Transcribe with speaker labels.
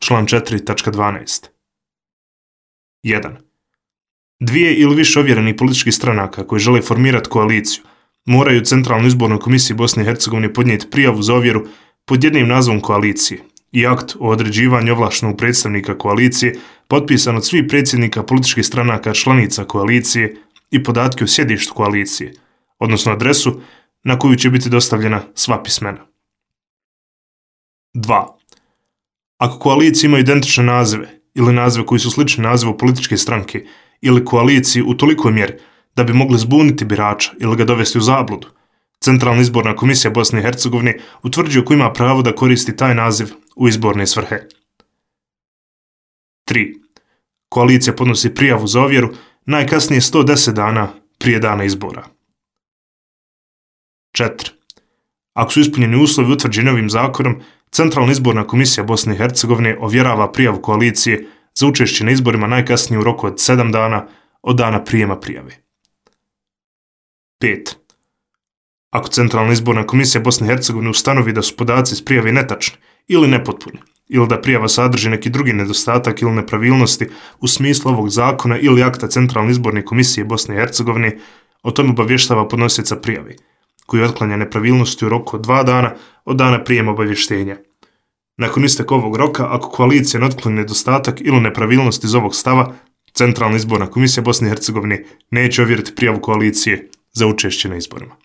Speaker 1: član 4.12. 1. Dvije ili više ovjerenih političkih stranaka koji žele formirati koaliciju moraju Centralnoj izbornoj komisiji Bosne i Hercegovine podnijeti prijavu za ovjeru pod jednim nazvom koalicije i akt o određivanju ovlaštenog predstavnika koalicije potpisan od svih predsjednika političkih stranaka članica koalicije i podatke o sjedištu koalicije, odnosno adresu na koju će biti dostavljena sva pismena. 2. Ako koalicije imaju identične nazive ili nazive koji su slični nazivu političke stranke ili koaliciji u tolikoj mjeri da bi mogli zbuniti birača ili ga dovesti u zabludu, Centralna izborna komisija Bosne i Hercegovine utvrđuje ko ima pravo da koristi taj naziv u izborne svrhe. 3. Koalicija podnosi prijavu za ovjeru najkasnije 110 dana prije dana izbora. 4. Ako su ispunjeni uslovi utvrđeni ovim zakonom, Centralna izborna komisija Bosne i Hercegovine ovjerava prijavu koalicije za učešće na izborima najkasnije u roku od 7 dana od dana prijema prijave. 5. Ako Centralna izborna komisija Bosne i Hercegovine ustanovi da su podaci iz prijave netačni ili nepotpuni, ili da prijava sadrži neki drugi nedostatak ili nepravilnosti u smislu ovog zakona ili akta Centralne izborne komisije Bosne i Hercegovine, o tome obavještava podnosioca prijave, koji otklanja nepravilnosti u roku od 2 dana od dana prijema obavještenja. Nakon isteka ovog roka, ako koalicija ne otkloni nedostatak ili nepravilnost iz ovog stava, Centralna izborna komisija Bosne i Hercegovine neće ovjeriti prijavu koalicije za učešće na izborima.